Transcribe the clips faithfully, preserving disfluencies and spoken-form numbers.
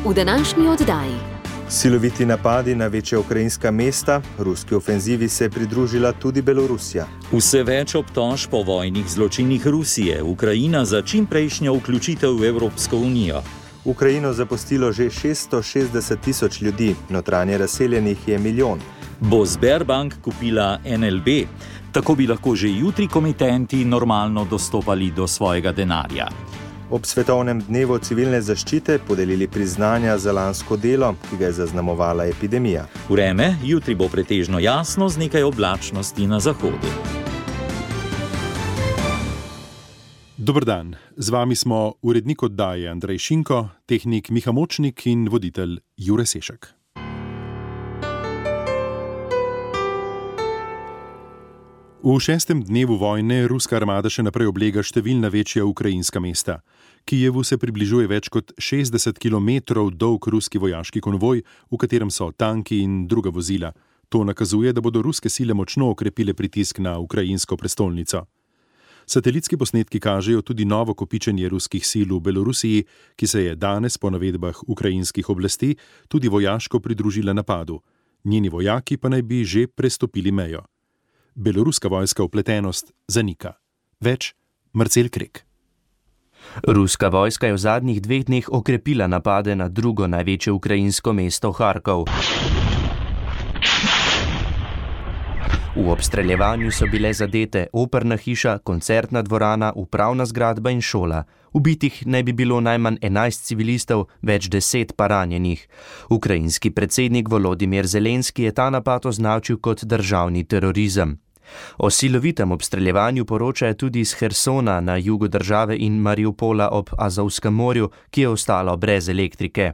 V današnji oddaji. Siloviti napadi na večja ukrajinska mesta, ruski ofenzivi se je pridružila tudi Belorusija. Vse več obtožb po vojnih zločinih Rusije, Ukrajina za čimprejšnjo vključitev v Evropsko unijo. Ukrajino zapustilo že šeststo šestdeset tisoč ljudi, notranje razseljenih je milijon. Bo Sberbank kupila en el be? Tako bi lahko že jutri komitenti normalno dostopali do svojega denarja. Ob svetovnem dnevu civilne zaščite podelili priznanja za lansko delo, ki ga je zaznamovala epidemija. Vreme jutri bo pretežno jasno z nekaj oblačnosti na zahodu. Dober dan, z vami smo urednik oddaje Andrej Šinko, tehnik Miha Močnik in voditelj Jure Sešek. V šestem dnevu vojne ruska armada še naprej oblega številna večja ukrajinska mesta. Kijevu se približuje več kot šestdeset kilometrov dolg ruski vojaški konvoj, v katerem so tanki in druga vozila. To nakazuje, da bodo ruske sile močno okrepile pritisk na ukrajinsko prestolnico. Satelitski posnetki kažejo tudi novo kopičenje ruskih sil v Belorusiji, ki se je danes po navedbah ukrajinskih oblasti tudi vojaško pridružila napadu. Njeni vojaki pa naj bi že prestopili mejo. Beloruska vojska vpletenost zanika. Več Marcel Krek. Ruska vojska je v zadnjih dveh dneh okrepila napade na drugo največje ukrajinsko mesto Harkov. V obstreljevanju so bile zadete operna hiša, koncertna dvorana, upravna zgradba in šola. Ubitih naj bi bilo najmanj enajst civilistov, več deset pa ranjenih. Ukrajinski predsednik Volodimir Zelenski je ta napad označil kot državni terorizem. O silovitem obstreljevanju poročajo tudi iz Hersona na jugu države in Mariupola ob Azovskem morju, ki je ostalo brez elektrike.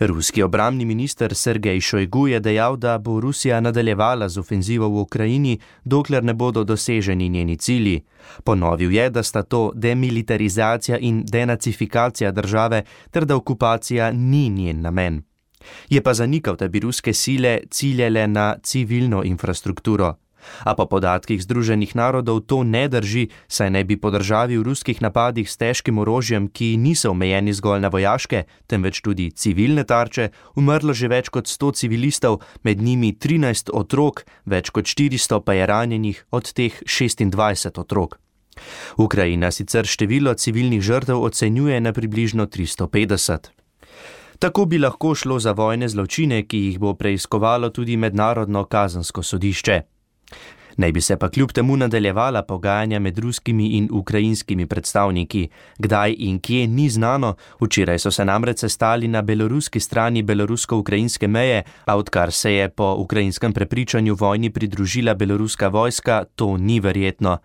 Ruski obrambni minister Sergej Šojgu je dejal, da bo Rusija nadaljevala z ofenzivo v Ukrajini, dokler ne bodo doseženi njeni cilji. Ponovil je, da sta to demilitarizacija in denacifikacija države ter da okupacija ni njen namen. Je pa zanikal, da bi ruske sile ciljale na civilno infrastrukturo. A po podatkih Združenih narodov to ne drži, saj naj bi po državi v ruskih napadih s težkim orožjem, ki niso omejeni zgolj na vojaške, temveč tudi civilne tarče, umrlo že več kot sto civilistov, med njimi trinajst otrok, več kot štiristo pa je ranjenih, od teh šestindvajset otrok. Ukrajina sicer število civilnih žrtev ocenjuje na približno tristo petdeset. Tako bi lahko šlo za vojne zločine, ki jih bo preiskovalo tudi mednarodno kazensko sodišče. Naj bi se pa kljub temu nadaljevala pogajanja med ruskimi in ukrajinskimi predstavniki. Kdaj in kje ni znano, včeraj so se namreč sestali na beloruski strani belorusko-ukrajinske meje, a odkar se je po ukrajinskem prepričanju vojni pridružila beloruska vojska, to ni verjetno.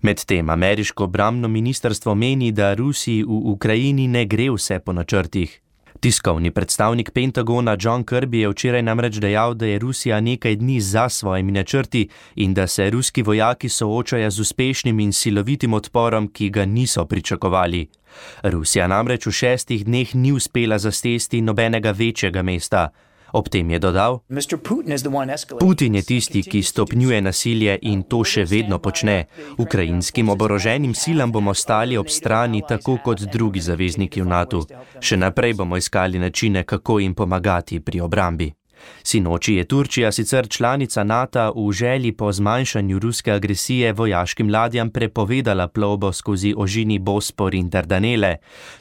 Medtem ameriško obrambno ministrstvo meni, da Rusiji v Ukrajini ne gre vse po načrtih. Tiskovni predstavnik Pentagona John Kirby je včeraj namreč dejal, da je Rusija nekaj dni za svojimi načrti in da se ruski vojaki soočajo z uspešnim in silovitim odporom, ki ga niso pričakovali. Rusija namreč v šestih dneh ni uspela zastesti nobenega večjega mesta. Ob tem je dodal: Putin je tisti, ki stopnjuje nasilje in to še vedno počne. Ukrajinskim oboroženim silam bomo stali ob strani tako kot drugi zavezniki v natu. Še naprej bomo iskali načine, kako jim pomagati pri obrambi. Sinoči je Turčija, sicer članica Nata, v želji po zmanjšanju ruske agresije vojaškim ladjam prepovedala plovbo skozi ožini Bospor in Dardanele.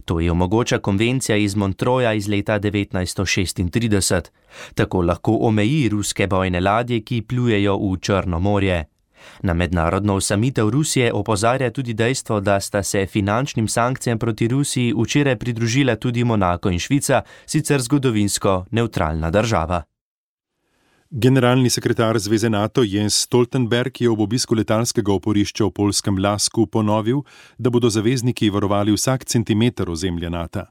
To je omogoča konvencija iz Montroja iz leta devetnajststo šestintrideset. Tako lahko omeji ruske bojne ladje, ki plujejo v Črno morje. Na mednarodno osamitev Rusije opozarja tudi dejstvo, da sta se finančnim sankcijam proti Rusiji včeraj pridružila tudi Monako in Švica, sicer zgodovinsko nevtralna država. Generalni sekretar Zveze NATO Jens Stoltenberg je ob obisku letalskega oporišča v poljskem Lasku ponovil, da bodo zavezniki varovali vsak centimeter ozemlja NATO.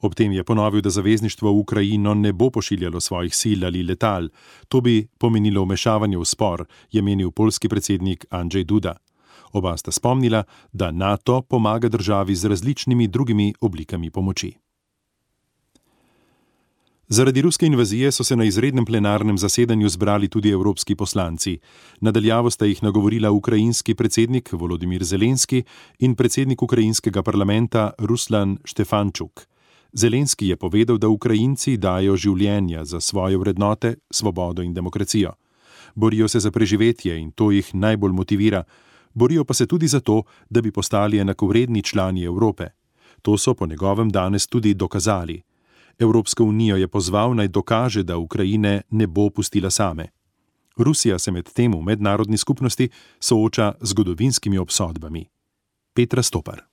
Ob tem je ponovil, da zavezništvo v Ukrajino ne bo pošiljalo svojih sil ali letal. To bi pomenilo vmešavanje v spor, je menil poljski predsednik Andrzej Duda. Oba sta spomnila, da NATO pomaga državi z različnimi drugimi oblikami pomoči. Zaradi ruske invazije so se na izrednem plenarnem zasedanju zbrali tudi evropski poslanci. Nadaljavo sta jih nagovorila ukrajinski predsednik Volodimir Zelenski in predsednik ukrajinskega parlamenta Ruslan Štefančuk. Zelenski je povedal, da Ukrajinci dajo življenja za svoje vrednote, svobodo in demokracijo. Borijo se za preživetje in to jih najbolj motivira. Borijo pa se tudi za to, da bi postali enakovredni člani Evrope. To so po njegovem danes tudi dokazali. Evropsko unijo je pozval, naj dokaže, da Ukrajine ne bo pustila same. Rusija se med tem v mednarodni skupnosti sooča z zgodovinskimi obsodbami. Petra Stopar.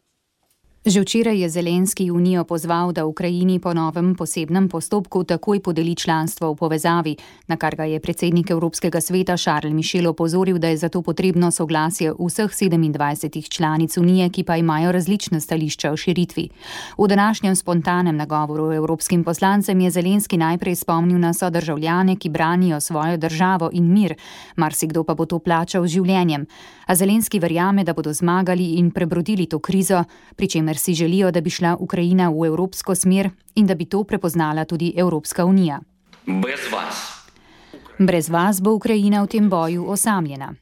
Že včeraj je Zelenski Unijo pozval, da Ukrajini po novem posebnem postopku takoj podeli članstvo v povezavi, na kar ga je predsednik Evropskega sveta Charles Michel opozoril, da je zato potrebno soglasje vseh sedemindvajsetih članic Unije, ki pa imajo različna stališča o širitvi. V današnjem spontanem nagovoru evropskim poslancem je Zelenski najprej spomnil na sodržavljane, ki branijo svojo državo in mir, marsikdo pa bo to plačal z življenjem. A Zelenski verjame, da bodo zmagali in prebrodili to krizo, pri čemer si želijo, da bi šla Ukrajina v evropsko smer in da bi to prepoznala tudi Evropska unija. Brez vas. Brez vas bo Ukrajina v tem boju osamljena.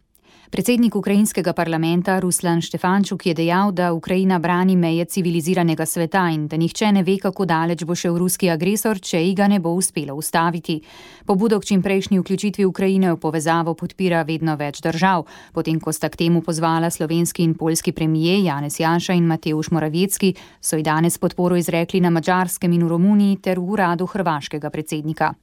Predsednik ukrajinskega parlamenta Ruslan Štefančuk je dejal, da Ukrajina brani meje civiliziranega sveta in da nihče ne ve, kako daleč bo šel ruski agresor, če ji ga ne bo uspelo ustaviti. Pobudo k čimprejšnji vključitvi Ukrajine v povezavo podpira vedno več držav, potem ko sta k temu pozvala slovenski in poljski premije Janez Janša in Mateusz Morawiecki, so ji danes podporo izrekli na Madžarskem in v Romuniji ter v uradu hrvaškega predsednika.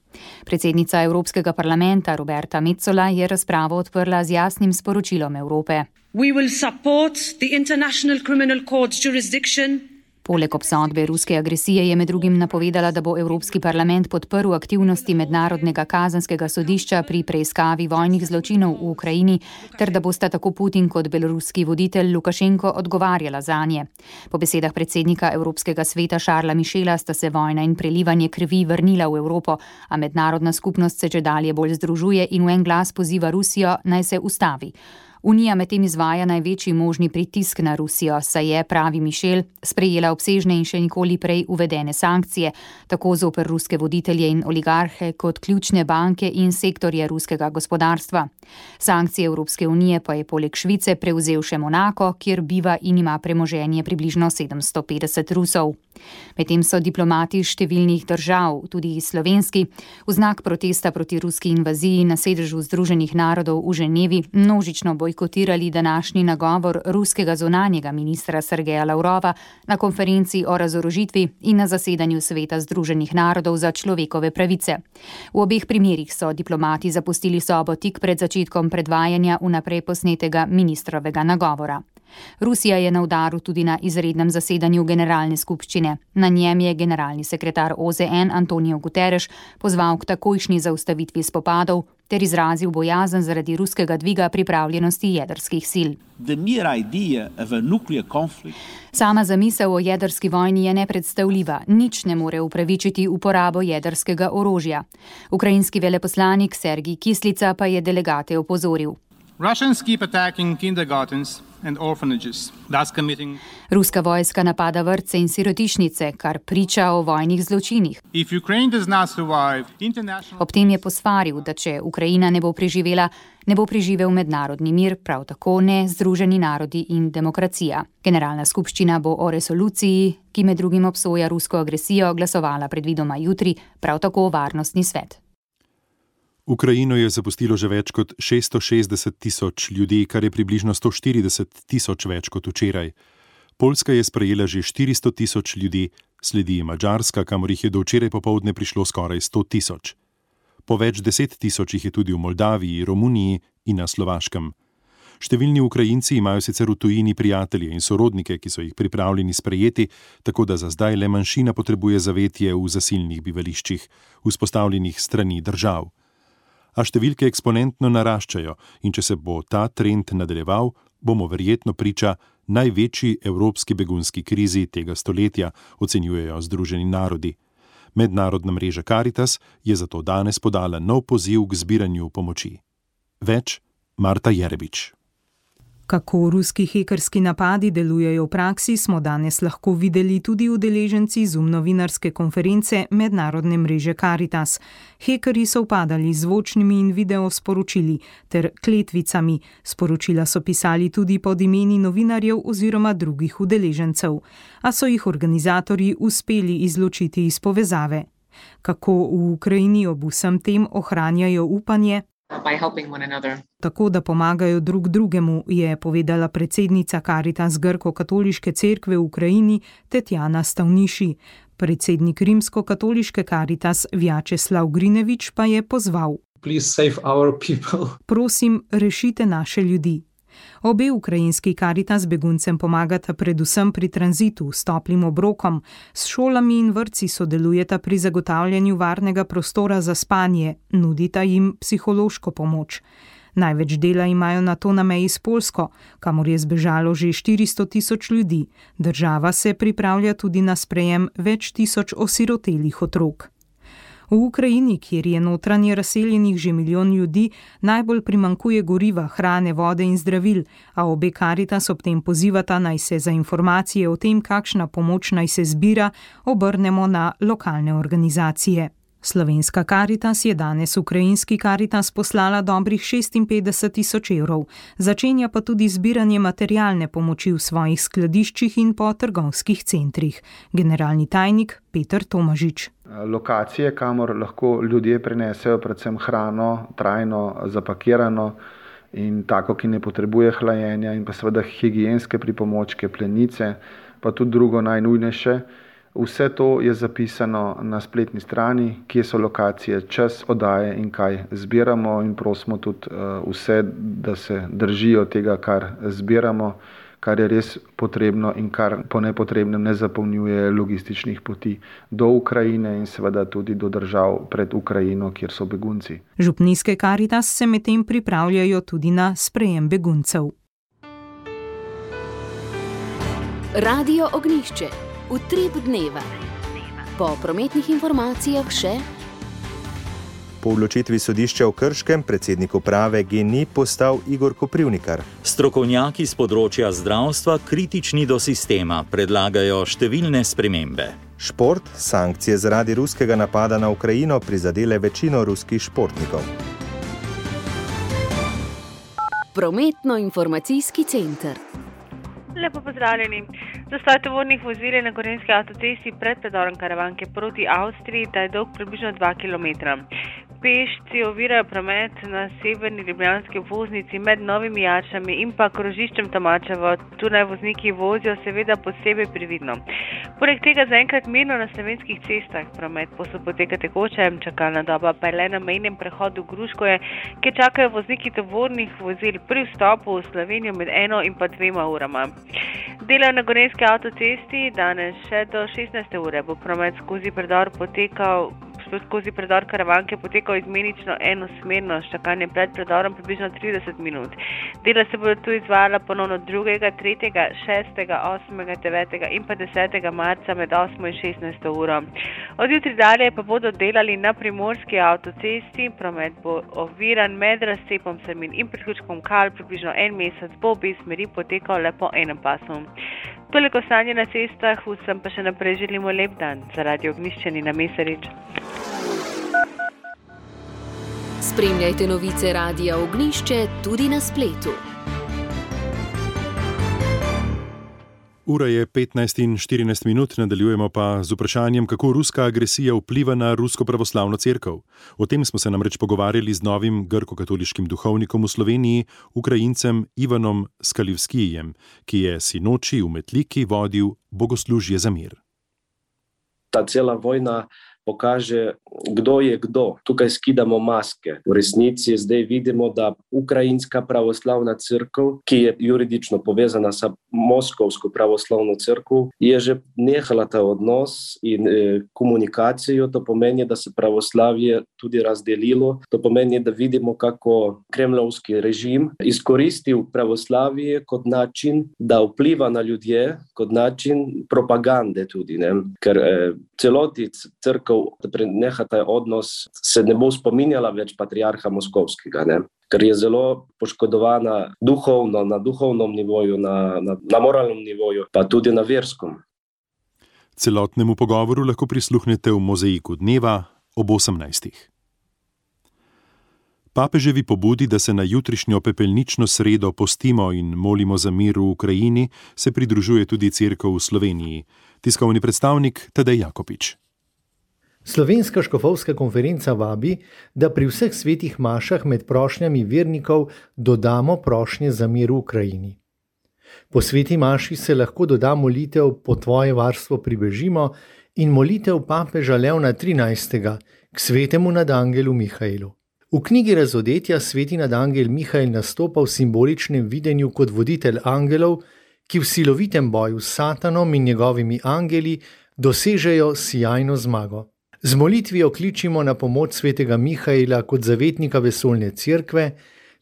Predsednica Evropskega parlamenta Roberta Metsola je razpravo odprla z jasnim sporočilom Evrope. We will support the International Criminal Court's jurisdiction. Poleg obsodbe ruske agresije je med drugim napovedala, da bo Evropski parlament podprl aktivnosti Mednarodnega kazenskega sodišča pri preiskavi vojnih zločinov v Ukrajini, ter da bosta tako Putin kot beloruski voditelj Lukašenko odgovarjala zanje. Po besedah predsednika Evropskega sveta Charlesa Michela sta se vojna in prelivanje krvi vrnila v Evropo, a mednarodna skupnost se čedalje bolj združuje in v en glas poziva Rusijo, naj se ustavi. Unija medtem izvaja največji možni pritisk na Rusijo, saj je, pravi Michel, sprejela obsežne in še nikoli prej uvedene sankcije, tako zoper ruske voditelje in oligarhe kot ključne banke in sektorje ruskega gospodarstva. Sankcije Evropske unije pa je poleg Švice prevzel še Monako, kjer biva in ima premoženje približno sedemsto petdeset Rusov. Medtem so diplomati številnih držav, tudi slovenski, v znak protesta proti ruski invaziji na sedežu Združenih narodov v Ženevi množično bojkotirali današnji nagovor ruskega zunanjega ministra Sergeja Lavrova na konferenci o razorožitvi in na zasedanju Sveta Združenih narodov za človekove pravice. V obeh primerih so diplomati zapustili sobo tik pred začetkom predvajanja vnaprej posnetega ministrovega nagovora. Rusija je na udaru tudi na izrednem zasedanju generalne skupščine. Na njem je generalni sekretar O Z N Antonio Guterres pozval k takojšnji zaustavitvi spopadov ter izrazil bojazen zaradi ruskega dviga pripravljenosti jedrskih sil. Sama zamisel o jedrski vojni je nepredstavljiva, nič ne more upravičiti uporabo jedrskega orožja. Ukrajinski veleposlanik Sergij Kislica pa je delegate opozoril. Russians keep attacking kindergartens and orphanages, thus committing... Ruska vojska napada vrtce in sirotišnice, kar priča o vojnih zločinih. If Ukraine does not survive, international... Ob tem je posvaril, da če Ukrajina ne bo preživela, ne bo preživel mednarodni mir, prav tako ne Združeni narodi in demokracija. Generalna skupščina bo o resoluciji, ki med drugim obsoja rusko agresijo, glasovala predvidoma jutri, prav tako varnostni svet. Ukrajino je zapustilo že več kot šeststo šestdeset tisoč ljudi, kar je približno sto štirideset tisoč več kot včeraj. Poljska je sprejela že štiristo tisoč ljudi, sledi Madžarska, kamor jih je do včeraj popoldne prišlo skoraj sto tisoč. Po več deset tisoč jih je tudi v Moldaviji, Romuniji in na Slovaškem. Številni Ukrajinci imajo sicer v tujini prijatelje in sorodnike, ki so jih pripravljeni sprejeti, tako da za zdaj le manjšina potrebuje zavetje v zasilnih bivališčih, vzpostavljenih strani držav. A številke eksponentno naraščajo in če se bo ta trend nadaljeval, bomo verjetno priča največji evropski begunski krizi tega stoletja, ocenjujejo Združeni narodi. Mednarodna mreža Caritas je zato danes podala nov poziv k zbiranju pomoči. Več Marta Jerebič. Kako ruski hekerski napadi delujejo v praksi, smo danes lahko videli tudi udeleženci Zoom novinarske konference mednarodne mreže Caritas. Hekerji so vpadali z zvočnimi in video sporočili ter kletvicami. Sporočila so pisali tudi pod imeni novinarjev oziroma drugih udeležencev, a so jih organizatorji uspeli izločiti iz povezave. Kako v Ukrajini ob vsem tem ohranjajo upanje? By helping one another. Tako, da pomagajo drug drugemu, je povedala predsednica Caritas Grko-katoliške cerkve v Ukrajini Tetjana Stavniši. Predsednik rimsko-katoliške Caritas Vjačeslav Grinevič pa je pozval: Please save our people. Prosim, rešite naše ljudi. Obe ukrajinski Caritas beguncem pomagata predvsem pri tranzitu s toplim obrokom, s šolami in vrtci sodelujeta pri zagotavljanju varnega prostora za spanje, nudita jim psihološko pomoč. Največ dela imajo na to na meji s Poljsko, kamor je zbežalo že štiristo tisoč ljudi. Država se pripravlja tudi na sprejem več tisoč osirotelih otrok. V Ukrajini, kjer je notranje razseljenih že milijon ljudi, najbolj primanjkuje goriva, hrane, vode in zdravil, a obe Caritas ob tem pozivata, naj se za informacije o tem, kakšna pomoč naj se zbira, obrnemo na lokalne organizacije. Slovenska Caritas je danes ukrajinski Caritas poslala dobrih šestinpetdeset tisoč evrov, začenja pa tudi zbiranje materialne pomoči v svojih skladiščih in po trgovskih centrih. Generalni tajnik Peter Tomažič. Lokacije, kamor lahko ljudje prinesejo predvsem hrano, trajno zapakirano in tako, ki ne potrebuje hlajenja, in pa seveda higienske pripomočke, plenice, pa tudi drugo najnujnejše. Vse to je zapisano na spletni strani, kje so lokacije, čas oddaje in kaj zbiramo, in prosimo tudi vse, da se držijo tega, kar zbiramo, kar je res potrebno in kar po nepotrebnem ne zapolnjuje logističnih poti do Ukrajine in seveda tudi do držav pred Ukrajino, kjer so begunci. Župnijske Caritas se medtem pripravljajo tudi na sprejem beguncev. Radio Ognjišče. Utrip dneva. Po prometnih informacijah še. Po odločitvi sodišča v Krškem predsednik uprave G N I postal Igor Koprivnikar. Strokovnjaki z področja zdravstva, kritični do sistema, predlagajo številne spremembe. Šport, sankcije zaradi ruskega napada na Ukrajino prizadele večino ruskih športnikov. Prometno-informacijski center. Lepo pozdravljeni. Zastoj tovornih vozil je na Gorenjski avtocesti pred predorom Karavanke proti Avstriji, ta je dolg približno dva kilometra. Pešci ovirajo promet na severni ljubljanski obvoznici med Novimi Jačami in pa krožiščem Tomačevo. Tu naj vozniki vozijo seveda posebej previdno. Poleg tega zaenkrat mirno na slovenskih cestah promet posod poteka tekoče, čakalna doba pa je le na mejnem prehodu Gruškoje, kjer čakajo vozniki tovornih vozil pri vstopu v Slovenijo med eno in pa dvema urama. Delajo na Gorenjski avtocesti, danes še do šestnajste ure bo promet skozi predor potekal skozi predor Karavanke potekal izmenično enosmerno, s čakanjem pred predorom približno trideset minut. Dela se bodo tu izvajala ponovno drugega, tretjega, šestega, osmega, devetega in pa desetega marca med osmo in šestnajsto uro. Od jutri dalje pa bodo delali na Primorski avtocesti, promet bo oviran med razcepom Samin in priključkom Kal, približno en mesec bo obe smeri potekal le po enem pasu. Toliko stanje na cestah, vsem pa še naprej želimo lep dan. Za Radio Ognjišče Nina Mesarič. Spremljajte novice Radia Ognjišče tudi na spletu. Ura je petnajst in štirinajst minut, nadaljujemo pa z vprašanjem, kako ruska agresija vpliva na rusko pravoslavno cerkev. O tem smo se namreč pogovarjali z novim grko-katoliškim duhovnikom v Sloveniji, Ukrajincem Ivanom Skalivskijem, ki je sinoči v Metliki vodil bogoslužje za mir. Ta cela vojna pokaže, kdo je kdo. Tukaj skidamo maske. V resnici zdaj vidimo, da Ukrajinska pravoslavna crkva, ki je juridično povezana sa Moskovsko pravoslavno crkvu, je že nehala ta odnos in e, komunikacijo. To pomeni, da se pravoslavje tudi razdelilo. To pomeni, da vidimo, kako kremlovski režim izkoristil pravoslavje kot način, da vpliva na ljudje, kot način propagande tudi. Ne? Ker e, celoti crkva da preneha ta odnos, se ne bo spominjala več patriarha Moskovskega, ne? Ker je zelo poškodovana duhovno, na duhovnem nivoju, na, na, na moralnem nivoju, pa tudi na verskom. Celotnemu pogovoru lahko prisluhnete v Mozaiku dneva ob osemnajstih. Papeževi pobudi, da se na jutrišnjo pepelnično sredo postimo in molimo za mir v Ukrajini, se pridružuje tudi Cerkev v Sloveniji. Tiskovni predstavnik Tadej Jakopič. Slovenska škofovska konferenca vabi, da pri vseh svetih mašah med prošnjami vernikov dodamo prošnje za mir v Ukrajini. Po sveti maši se lahko doda molitev Po tvoje varstvo pribežimo in molitev papeža Leona trinajstega k svetemu nadangelu Mihajlu. V knjigi Razodetja sveti nadangel Mihajl nastopa v simboličnem videnju kot voditelj angelov, ki v silovitem boju s Satanom in njegovimi angeli dosežejo sijajno zmago. Z molitvijo kličimo na pomoč svetega Mihajla kot zavetnika vesoljne cerkve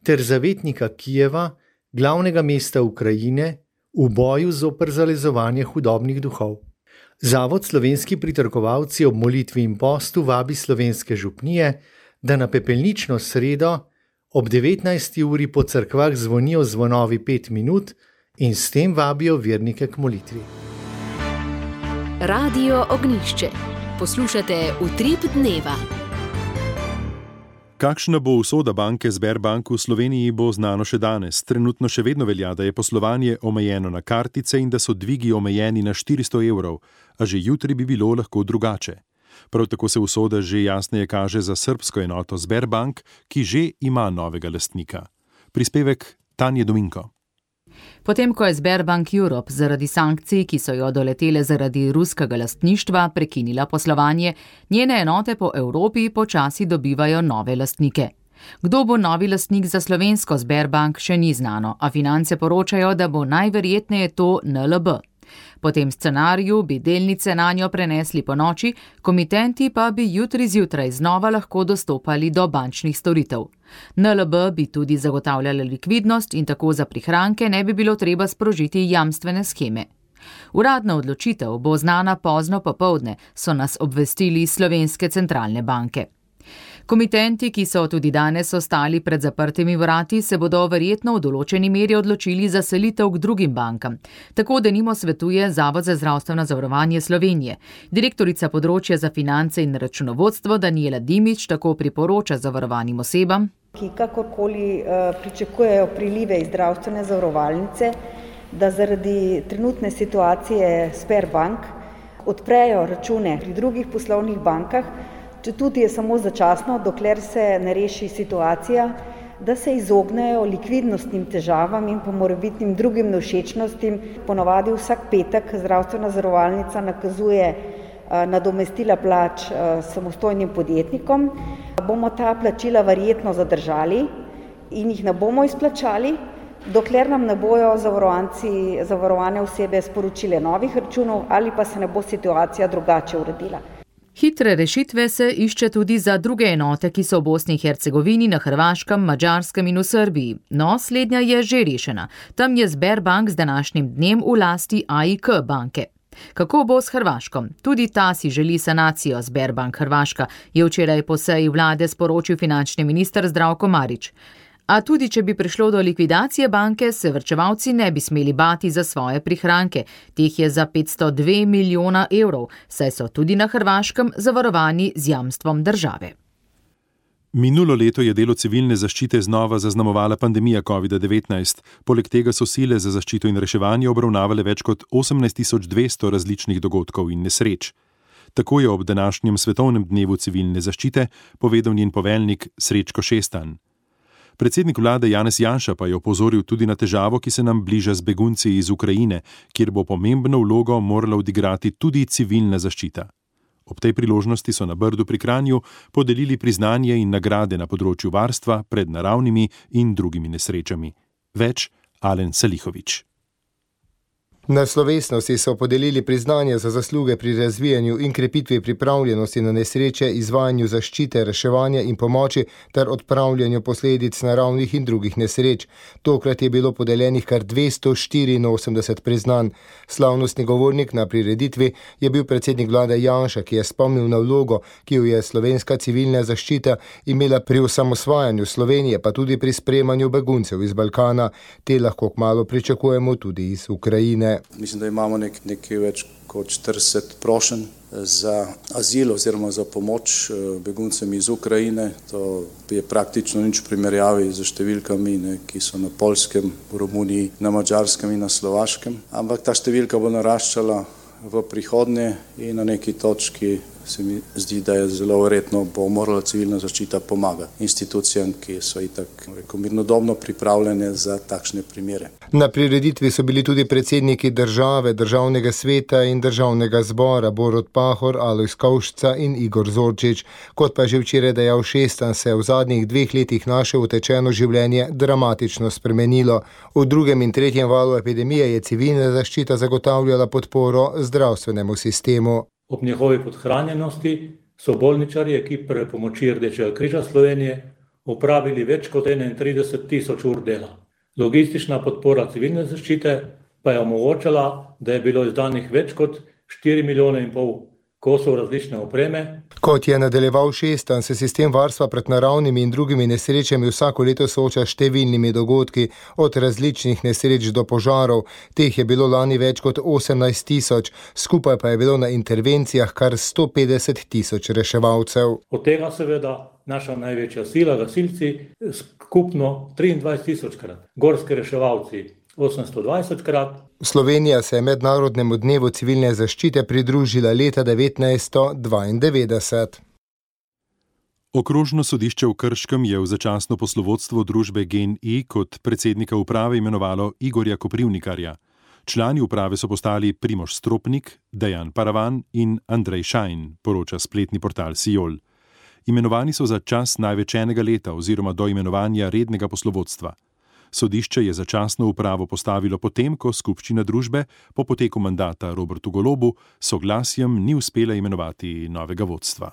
ter zavetnika Kijeva, glavnega mesta Ukrajine, v boju zoper zalezovanje hudobnih duhov. Zavod Slovenski pritrkovalci ob molitvi in postu vabi slovenske župnije, da na pepelnično sredo ob devetnajsti uri po cerkvah zvonijo zvonovi pet minut in s tem vabijo vernike k molitvi. Radio Ognjišče. Poslušate Utrip dneva. Kakšna bo usoda banke Sberbank v Sloveniji, bo znano še danes. Trenutno še vedno velja, da je poslovanje omejeno na kartice in da so dvigi omejeni na štiristo evrov, a že jutri bi bilo lahko drugače. Prav tako se usoda že jasneje kaže za srbsko enoto Sberbank, ki že ima novega lastnika. Prispevek Tanje Dominko. Potem, ko je Sberbank Europe zaradi sankcij, ki so jo doletele zaradi ruskega lastništva, prekinila poslovanje, njene enote po Evropi počasi dobivajo nove lastnike. Kdo bo novi lastnik za slovensko Sberbank, še ni znano, a Finance poročajo, da bo najverjetneje to N L B. Po tem scenariju bi delnice nanjo prenesli po noči, komitenti pa bi jutri zjutraj znova lahko dostopali do bančnih storitev. N L B bi tudi zagotavljala likvidnost in tako za prihranke ne bi bilo treba sprožiti jamstvene sheme. Uradna odločitev bo znana pozno popoldne, so nas obvestili slovenske centralne banke. Komitenti, ki so tudi danes ostali pred zaprtimi vrati, se bodo verjetno v določeni meri odločili za selitev k drugim bankam. Tako denimo svetuje Zavod za zdravstveno zavarovanje Slovenije. Direktorica področja za finance in računovodstvo Danijela Dimič tako priporoča zavarovanim osebam, ki kakorkoli uh, pričakujejo prilive iz zdravstvene zavarovalnice, da zaradi trenutne situacije Sberbank odprejo račune pri drugih poslovnih bankah, če tudi je samo začasno, dokler se ne reši situacija, da se izognejo likvidnostnim težavam in pa morebitnim drugim nevšečnostim. Ponovadi vsak petek zdravstvena zavarovalnica nakazuje nadomestila plač samostojnim podjetnikom. Bomo ta plačila verjetno zadržali in jih ne bomo izplačali, dokler nam ne bojo zavarovanci, zavarovane osebe sporočile novih računov ali pa se ne bo situacija drugače uredila. Hitre rešitve se išče tudi za druge enote, ki so v Bosni in Hercegovini, na Hrvaškem, Madžarskem in v Srbiji. No, slednja je že rešena. Tam je Sberbank z današnjim dnem v lasti A I K banke. Kako bo s Hrvaškom? Tudi ta si želi sanacijo Sberbank Hrvaška, je včeraj po seji vlade sporočil finančni minister Zdravko Marić. A tudi, če bi prišlo do likvidacije banke, se varčevalci ne bi smeli bati za svoje prihranke. Teh je za petsto dva milijona evrov, saj so tudi na Hrvaškem zavarovani z jamstvom države. Minulo leto je delo civilne zaščite znova zaznamovala pandemija covid devetnajst. Poleg tega so sile za zaščito in reševanje obravnavale več kot osemnajst tisoč dvesto različnih dogodkov in nesreč. Tako je ob današnjem svetovnem dnevu civilne zaščite povedal njen poveljnik Srečko Šestan. Predsednik vlade Janez Janša pa je opozoril tudi na težavo, ki se nam bliža z begunci iz Ukrajine, kjer bo pomembno vlogo morala odigrati tudi civilna zaščita. Ob tej priložnosti so na Brdu pri Kranju podelili priznanje in nagrade na področju varstva pred naravnimi in drugimi nesrečami. Več Alen Salihović. Na slovesnosti so podelili priznanje za zasluge pri razvijanju in krepitvi pripravljenosti na nesreče, izvajanju zaščite, reševanja in pomoči ter odpravljanju posledic naravnih in drugih nesreč. Tokrat je bilo podeljenih kar dvesto štiriinosemdeset priznanj. Slavnostni govornik na prireditvi je bil predsednik vlade Janša, ki je spomnil na vlogo, ki jo je slovenska civilna zaščita imela pri osamosvajanju Slovenije, pa tudi pri sprejemanju beguncev iz Balkana. Te lahko kmalu pričakujemo tudi iz Ukrajine. Mislim, da imamo nek, nekaj več kot štirideset prošenj za azil oziroma za pomoč beguncem iz Ukrajine. To je praktično nič v primerjavi z številkami, ne, ki so na Poljskem, v Romuniji, na Madžarskem in na Slovaškem. Ampak ta številka bo naraščala v prihodnje in na neki točki se mi zdi, da je zelo verjetno bo morala civilna zaščita pomagati institucijam, ki so itak mirnodobno pripravljene za takšne primere. Na prireditvi so bili tudi predsedniki države, državnega sveta in državnega zbora Borut Pahor, Alojz Kovšca in Igor Zorčič. Kot pa že včeraj dejal Šestan, se je v zadnjih dveh letih naše utečeno življenje dramatično spremenilo. V drugem in tretjem valu epidemije je civilna zaščita zagotavljala podporo zdravstvenemu sistemu. Ob njihovi podhranjenosti so bolničarji ekipe pomoči Rdečega križa Slovenije opravili več kot enaintrideset tisoč ur dela. Logistična podpora civilne zaščite pa je omogočala, da je bilo izdanih več kot štiri milijone in pol kosov različne opreme. Kot je nadaljeval Šestan, se sistem varstva pred naravnimi in drugimi nesrečami vsako leto sooča s številnimi dogodki, od različnih nesreč do požarov. Teh je bilo lani več kot osemnajst tisoč, skupaj pa je bilo na intervencijah kar sto petdeset tisoč reševalcev. Od tega seveda naša največja sila, gasilci, skupno triindvajset tisočkrat, gorski reševalci osemsto dvajsetkrat. Slovenija se je mednarodnemu dnevu civilne zaščite pridružila leta devetnajststo dvaindevetdeset. Okrožno sodišče v Krškem je v začasno poslovodstvo družbe GEN-I kot predsednika uprave imenovalo Igorja Koprivnikarja. Člani uprave so postali Primož Stropnik, Dejan Paravan in Andrej Šajn, poroča spletni portal Sijol. Imenovani so za čas največ enega leta oziroma do imenovanja rednega poslovodstva. Sodišče je začasno upravo postavilo potem, ko skupščina družbe po poteku mandata Robertu Golobu soglasjem ni uspela imenovati novega vodstva.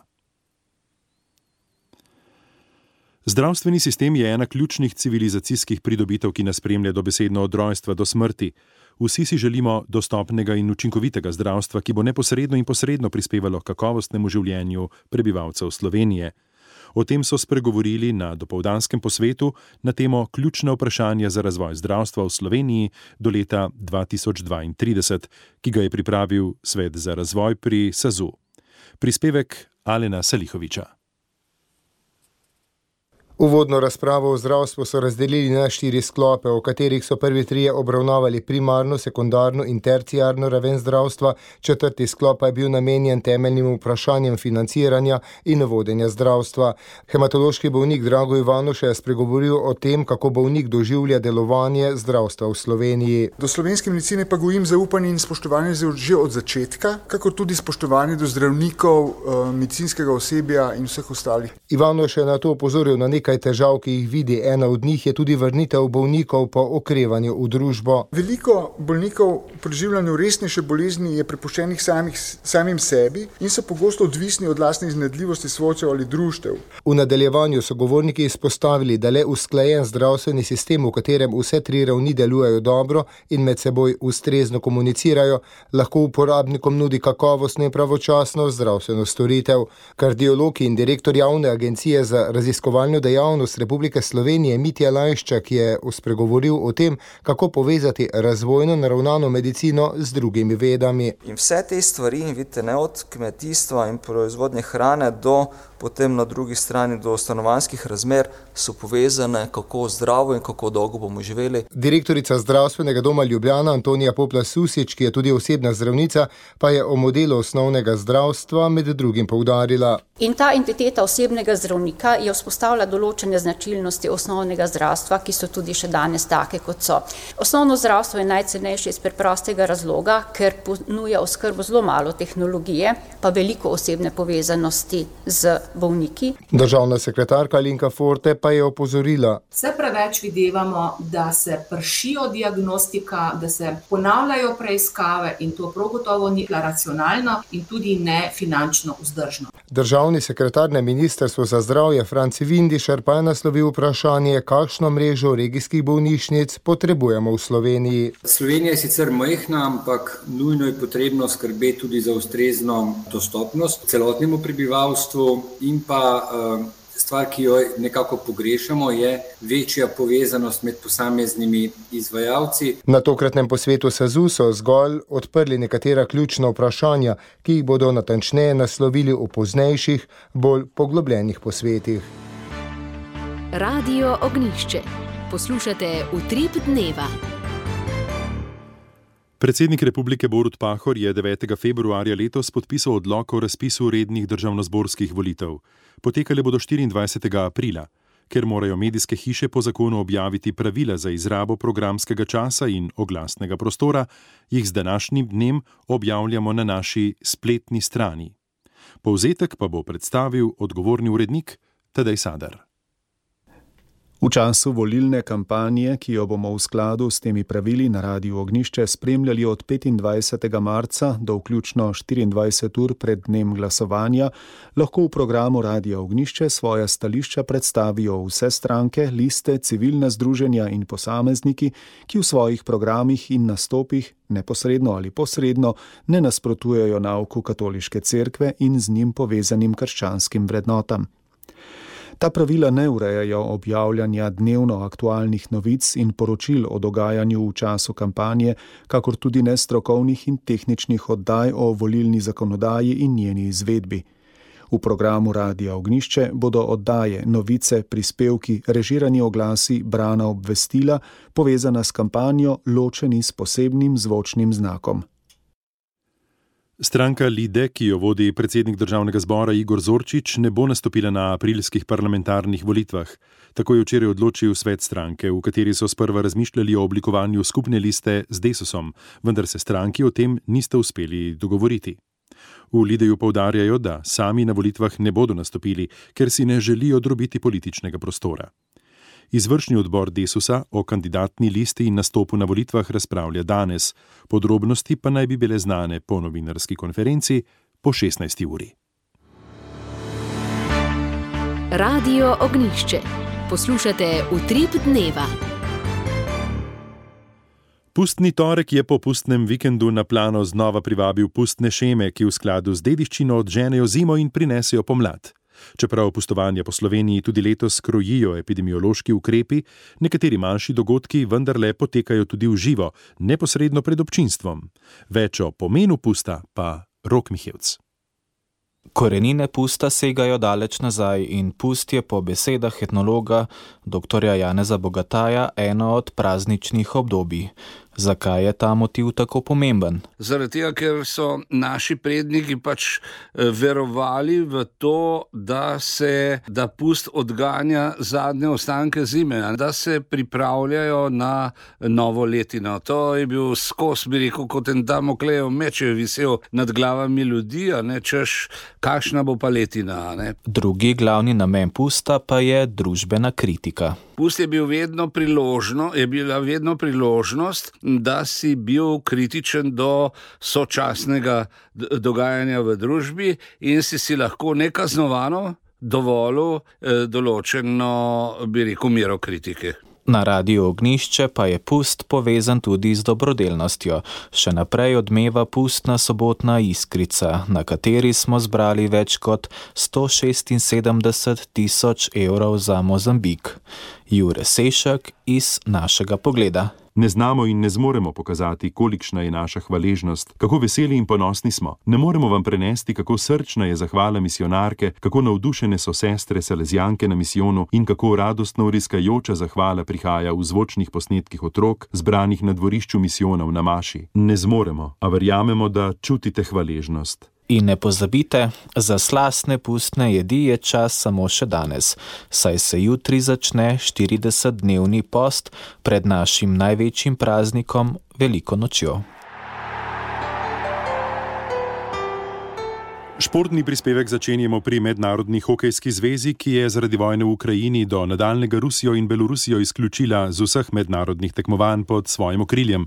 Zdravstveni sistem je ena ključnih civilizacijskih pridobitev, ki nas spremlja dobesedno od rojstva do smrti. Vsi si želimo dostopnega in učinkovitega zdravstva, ki bo neposredno in posredno prispevalo k kakovostnemu življenju prebivalcev Slovenije. O tem so spregovorili na dopoldanskem posvetu na temo ključna vprašanja za razvoj zdravstva v Sloveniji do leta dva tisoč dvaintrideset, ki ga je pripravil Svet za razvoj pri SAZU. Prispevek Alena Salihoviča. Uvodno razpravo o zdravstvu so razdelili na štiri sklope, v katerih so prvi trije obravnavali primarno, sekundarno in terciarno raven zdravstva, četrti sklop pa je bil namenjen temeljnim vprašanjem financiranja in vodenja zdravstva. Hematološki bolnik Drago Ivanuša je spregovoril o tem, kako bolnik doživlja delovanje zdravstva v Sloveniji. Do slovenske medicine pa gojim zaupanje in spoštovanje že od začetka, kako tudi spoštovanje do zdravnikov, medicinskega osebja in vseh ostalih. Ivanuša je na to opozoril na nekaj Nekaj težav, ki jih vidi. Ena od njih je tudi vrnitev bolnikov po okrevanju v družbo. Veliko bolnikov v preživljanju resnejše bolezni je prepuščenih samih, samim sebi in so pogosto odvisni od lastne iznajdljivosti svojcev ali društev. V nadaljevanju so govorniki izpostavili, da le usklajen zdravstveni sistem, v katerem vse tri ravni delujejo dobro in med seboj ustrezno komunicirajo, lahko uporabnikom nudi kakovostno in pravočasno zdravstveno storitev. Kardiolog in direktor javne agencije za raziskovalno dejavnost javnost Republike Slovenije Mitja Lajščak je spregovoril o tem, kako povezati razvojno naravnano medicino z drugimi vedami. In vse te stvari, vidite, ne od kmetijstva in proizvodnje hrane do potem na drugi strani do stanovanjskih razmer, so povezane, kako zdravo in kako dolgo bomo živeli. Direktorica zdravstvenega doma Ljubljana Antonija Popla-Susič, ki je tudi osebna zdravnica, pa je o modelu osnovnega zdravstva med drugim poudarila. In ta entiteta osebnega zdravnika je vzpostavila določene značilnosti osnovnega zdravstva, ki so tudi še danes take, kot so. Osnovno zdravstvo je najcenejše iz preprostega razloga, ker ponuja oskrbo zelo malo tehnologije, pa veliko osebne povezanosti z bolniki. Državna sekretarka Alenka Forte pa je opozorila. Vse preveč videvamo, da se pršijo diagnostika, da se ponavljajo preiskave in to prav gotovo ni racionalno in tudi ne finančno vzdržno. Državni sekretar na Ministrstvu za zdravje Franci Vindišar pa je naslovil vprašanje, kakšno mrežo regijskih bolnišnic potrebujemo v Sloveniji. Slovenija je sicer majhna, ampak nujno je potrebno skrbeti tudi za ustrezno dostopnost celotnemu prebivalstvu in pa uh, stvar, ki jo nekako pogrešamo, je večja povezanost med posameznimi izvajalci. Na tokratnem posvetu S A Z U so zgolj odprli nekatera ključna vprašanja, ki jih bodo natančneje naslovili v poznejših, bolj poglobljenih posvetih. Radio Ognjišče. Poslušate Utrip dneva. Predsednik republike Borut Pahor je devetega februarja letos podpisal odlok o razpisu rednih državnozborskih volitev. Potekale bodo štiriindvajsetega aprila. Ker morajo medijske hiše po zakonu objaviti pravila za izrabo programskega časa in oglasnega prostora, jih z današnjim dnem objavljamo na naši spletni strani. Povzetek pa bo predstavil odgovorni urednik Tadej Sadar. V času volilne kampanje, ki jo bomo v skladu s temi pravili na Radiu Ognjišče spremljali od petindvajsetega marca do vključno štiriindvajset ur pred dnem glasovanja, lahko v programu Radia Ognjišče svoja stališča predstavijo vse stranke, liste, civilna združenja in posamezniki, ki v svojih programih in nastopih neposredno ali posredno ne nasprotujejo nauku katoliške cerkve in z njim povezanim krščanskim vrednotam. Ta pravila ne urejajo objavljanja dnevno aktualnih novic in poročil o dogajanju v času kampanje, kakor tudi ne strokovnih in tehničnih oddaj o volilni zakonodaji in njeni izvedbi. V programu Radia Ognjišče bodo oddaje, novice, prispevki, režirani oglasi, brana obvestila, povezana s kampanjo, ločeni s posebnim zvočnim znakom. Stranka Lide, ki jo vodi predsednik državnega zbora Igor Zorčič, ne bo nastopila na aprilskih parlamentarnih volitvah. Tako je včeraj odločil svet stranke, v kateri so sprva razmišljali o oblikovanju skupne liste z Desusom, vendar se stranki o tem niste uspeli dogovoriti. V Lideju poudarjajo, da sami na volitvah ne bodo nastopili, ker si ne želijo drobiti političnega prostora. Izvršni odbor Desusa o kandidatni listi in nastopu na volitvah razpravlja danes, podrobnosti pa naj bi bile znane po novinarski konferenci po šestnajsti uri. Radio Ognjišče. Poslušate Utrip dneva. Pustni torek je po pustnem vikendu na plano znova privabil pustne šeme, ki v skladu z dediščino odženejo zimo in prinesejo pomlad. Čeprav pustovanja po Sloveniji tudi letos krojijo epidemiološki ukrepi, nekateri manjši dogodki vendarle potekajo tudi v živo, neposredno pred občinstvom. Več o pomenu pusta pa Rok Mihevc. Korenine pusta segajo daleč nazaj in pust je po besedah etnologa doktorja Janeza Bogataja eno od prazničnih obdobij. Zakaj je ta motiv tako pomemben? Zaradi tega, ker so naši predniki pač verovali v to, da se da pust odganja zadnje ostanke zime, da se pripravljajo na novo letino. To je bil skos, bi rekel, kot en Damoklejev meč je visel nad glavami ljudi, a ne češ, kakšna bo pa letina. Ne? Drugi glavni namen pusta pa je družbena kritika. Pust je bil vedno priložno, je bila vedno priložnost, da si bil kritičen do sočasnega dogajanja v družbi in si si lahko nekaznovano dovolil določeno, bi rekel, mero kritike. Na Radiu Ognjišče pa je pust povezan tudi z dobrodelnostjo. Še naprej odmeva pustna sobotna iskrica, na kateri smo zbrali več kot sto šestinsedemdeset tisoč evrov za Mozambik. Jure Sešak iz Našega pogleda. Ne znamo in ne zmoremo pokazati, kolikšna je naša hvaležnost, kako veseli in ponosni smo. Ne moremo vam prenesti, kako srčna je zahvala misionarke, kako navdušene so sestre salezijanke na misijonu in kako radostno vriskajoča zahvala prihaja v zvočnih posnetkih otrok, zbranih na dvorišču misijona v Namaši. Ne zmoremo, a verjamemo, da čutite hvaležnost. In ne pozabite, za slastne pustne jedi je čas samo še danes, saj se jutri začne štiridesetdnevni post pred našim največjim praznikom, Veliko nočjo. Športni prispevek začenjamo pri Mednarodni hokejski zvezi, ki je zaradi vojne v Ukrajini do nadaljnega Rusijo in Belorusijo izključila z vseh mednarodnih tekmovanj pod svojim okriljem.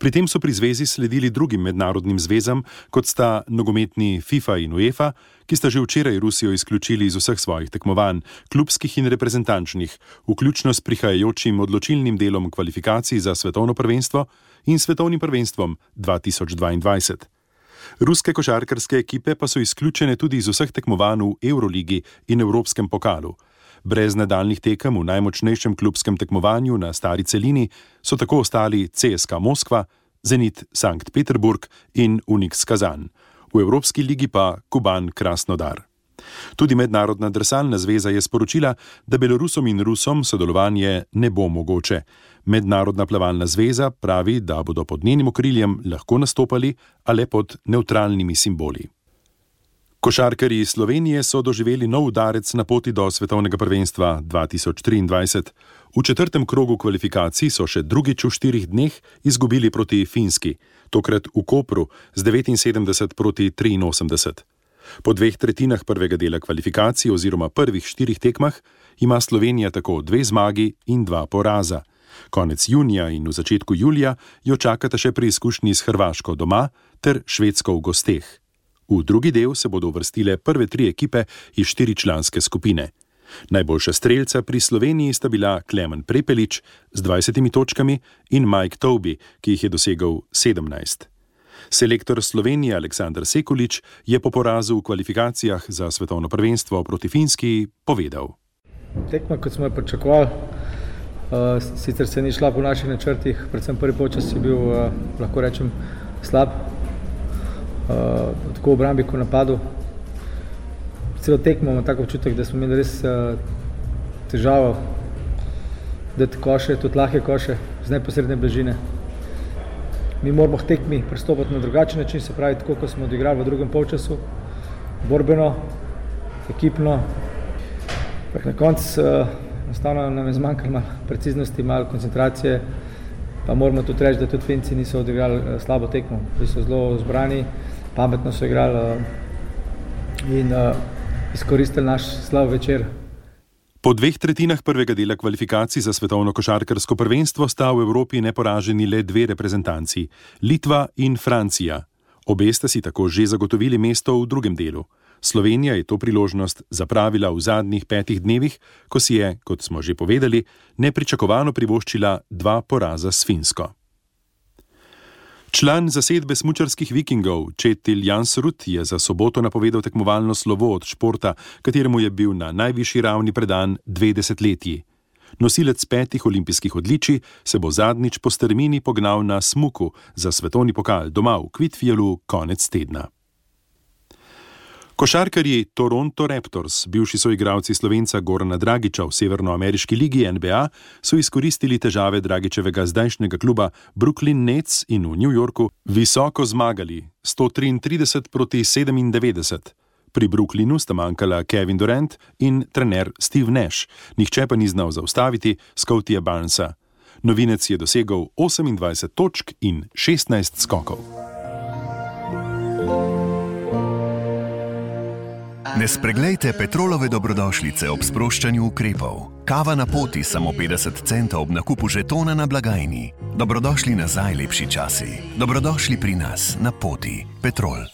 Pri tem so pri zvezi sledili drugim mednarodnim zvezam, kot sta nogometni FIFA in UEFA, ki sta že včeraj Rusijo izključili iz vseh svojih tekmovanj, klubskih in reprezentančnih, vključno s prihajajočim odločilnim delom kvalifikacij za svetovno prvenstvo in svetovnim prvenstvom dva tisoč dvaindvajset. Ruske košarkarske ekipe pa so izključene tudi iz vseh tekmovanj v Euroligi in Evropskem pokalu. Brez nadaljnih tekem v najmočnejšem klubskem tekmovanju na stari celini so tako ostali C S K A Moskva, Zenit Sankt Peterburg in Unix Kazan. V Evropski ligi pa Kuban Krasnodar. Tudi Mednarodna drsalna zveza je sporočila, da Belorusom in Rusom sodelovanje ne bo mogoče. Mednarodna plavalna zveza pravi, da bodo pod njenim okriljem lahko nastopali, a le pod nevtralnimi simboli. Košarkarji Slovenije so doživeli nov udarec na poti do svetovnega prvenstva dva tisoč triindvajset. V četrtem krogu kvalifikacij so še drugič v štirih dneh izgubili proti Finski, tokrat v Kopru z devetinsedemdeset proti triinosemdeset. Po dveh tretjinah prvega dela kvalifikacij oziroma prvih štirih tekmah ima Slovenija tako dve zmagi in dva poraza. Konec junija in v začetku julija jo čakata še preizkušnji s Hrvaško doma ter Švedsko v gosteh. V drugi del se bodo uvrstile prve tri ekipe iz štiričlanske skupine. Najboljša strelca pri Sloveniji sta bila Klemen Prepelič z dvajsetimi točkami in Mike Toby, ki jih je dosegel sedemnajst. Selektor Slovenije Aleksandar Sekulič je po porazu v kvalifikacijah za svetovno prvenstvo proti Finski povedal. Tekma, kot smo jo pričakovali, uh, sicer se ni šla po naših načrtih, predvsem prvi polčas je bil, uh, lahko rečem, slab, uh, tako v obrambi kot v napadu. Celo tekmo imamo tako občutek, da smo imeli res uh, težavo dati koše, tudi lahke koše z neposredne bližine. Mi moramo v tekmi pristopiti na drugačen način, se pravi tako, kot smo odigrali v drugem polčasu, borbeno, ekipno. Na koncu uh, enostavno nam je zmanjkalo malo preciznosti, malo koncentracije, pa moramo tudi reči, da tudi Finci niso odigrali uh, slabo tekmo. Bili so zelo zbrani, pametno so igrali uh, in uh, izkoristili naš slav večer. Po dveh tretjinah prvega dela kvalifikacij za svetovno košarkarsko prvenstvo sta v Evropi neporaženi le dve reprezentanci, Litva in Francija. Obe sta si tako že zagotovili mesto v drugem delu. Slovenija je to priložnost zapravila v zadnjih petih dnevih, ko si je, kot smo že povedali, nepričakovano privoščila dva poraza s Finsko. Član zasedbe smučarskih vikingov Četil Jansrud je za soboto napovedal tekmovalno slovo od športa, kateremu je bil na najvišji ravni predan dve desetletji. Nosilec petih olimpijskih odličij se bo zadnjič po strmini pognal na smuku za svetovni pokal doma v Kvitfjellu konec tedna. Košarkarji Toronto Raptors, bivši soigralci Slovenca Gorana Dragića v severnoameriški ligi N B A, so izkoristili težave Dragićevega zdajšnjega kluba Brooklyn Nets in v New Yorku visoko zmagali sto triintrideset proti sedemindevetdeset. Pri Brooklynu sta manjkala Kevin Durant in trener Steve Nash, nihče pa ni znal zaustaviti Scottyja Barnesa. Novinec je dosegel osemindvajset točk in šestnajst skokov. Ne spreglejte Petrolove dobrodošlice ob sproščanju ukrepov. Kava na poti samo petdeset centov ob nakupu žetona na blagajni. Dobrodošli nazaj, lepši časi. Dobrodošli pri nas na poti. Petrol.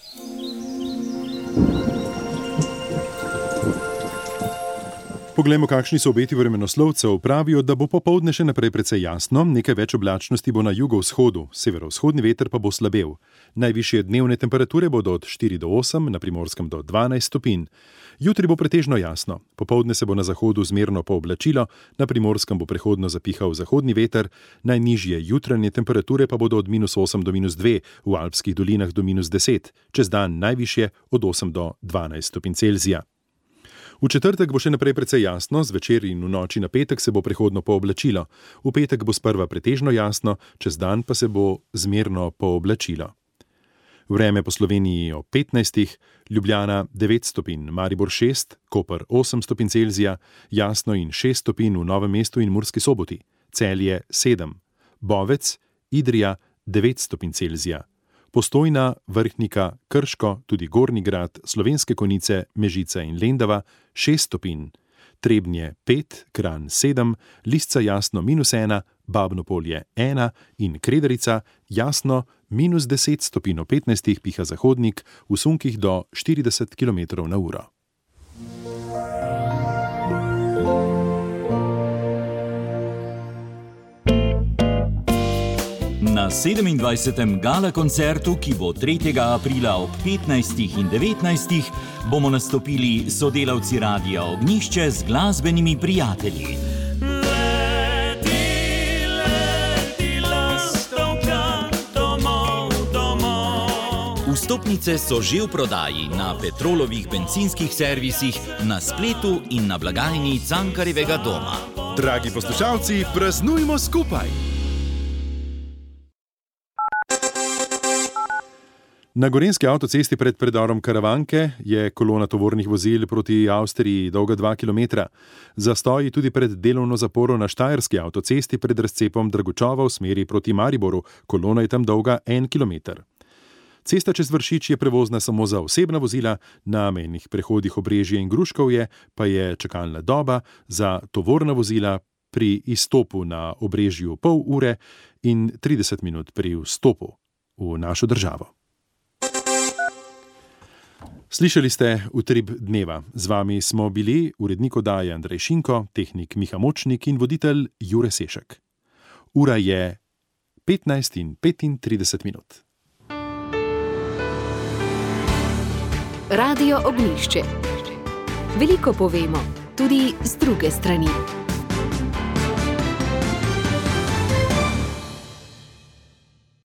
Poglejmo, kakšni so obeti vremenoslovcev. Pravijo, da bo popoldne še naprej precej jasno, nekaj več oblačnosti bo na jugovzhodu, severovzhodni veter pa bo slabel. Najvišje dnevne temperature bodo od štiri do osem, na Primorskem do dvanajst stopinj. Jutri bo pretežno jasno. Popoldne se bo na zahodu zmerno pooblačilo, na Primorskem bo prehodno zapihal zahodni veter, najnižje jutranje temperature pa bodo od minus osem do minus dve, v alpskih dolinah do minus deset, čez dan najvišje od osem do dvanajst stopinj Celzija. V četrtek bo še naprej precej jasno, zvečer in v noči na petek se bo prehodno pooblačilo. V petek bo sprva pretežno jasno, čez dan pa se bo zmerno pooblačilo. Vreme po Sloveniji ob petnajstih, Ljubljana devet stopinj, Maribor šest, Koper osem stopinj Celzija, jasno in šest stopinj v Novem mestu in Murski Soboti, Celje sedem, Bovec, Idrija devet stopinj Celzija, Postojna, Vrhnika, Krško, tudi Gornji Grad, Slovenske Konjice, Mežica in Lendava šest stopinj, Trebnje pet, Kranj sedem, Lisca jasno minus ena, Babno Polje ena in Kredarica jasno minus deset stopinj ob petnajstih, piha zahodnik, v sunkih do štirideset kilometrov na uro. Na sedemindvajsetem gala koncertu, ki bo tretjega aprila ob petnajstih in devetnajstih, bomo nastopili sodelavci Radia Ognjišče z glasbenimi prijatelji. Leti, leti, lastovka, domov, domov. Vstopnice so že v prodaji na Petrolovih bencinskih servisih, na spletu in na blagajni Cankarjevega doma. Dragi poslušalci, praznujmo skupaj! Na gorenjski avtocesti pred predorom Karavanke je kolona tovornih vozil proti Avstriji dolga dva kilometra. Zastoji tudi pred delovno zaporo na štajerski avtocesti pred razcepom Dragočova v smeri proti Mariboru. Kolona je tam dolga en kilometer. Cesta čez Vršič je prevozna samo za osebna vozila, na mejnih prehodih Obrežje in Gruškovje pa je čakalna doba za tovorna vozila pri izstopu na Obrežju pol ure in trideset minut pri vstopu v našo državo. Slišali ste Utrip dneva. Z vami smo bili urednik oddaje Andrej Šinko, tehnik Miha Močnik in voditelj Jure Sešek. Ura je petnajst in petintrideset minut. Radio Ognjišče. Veliko povemo, tudi z druge strani.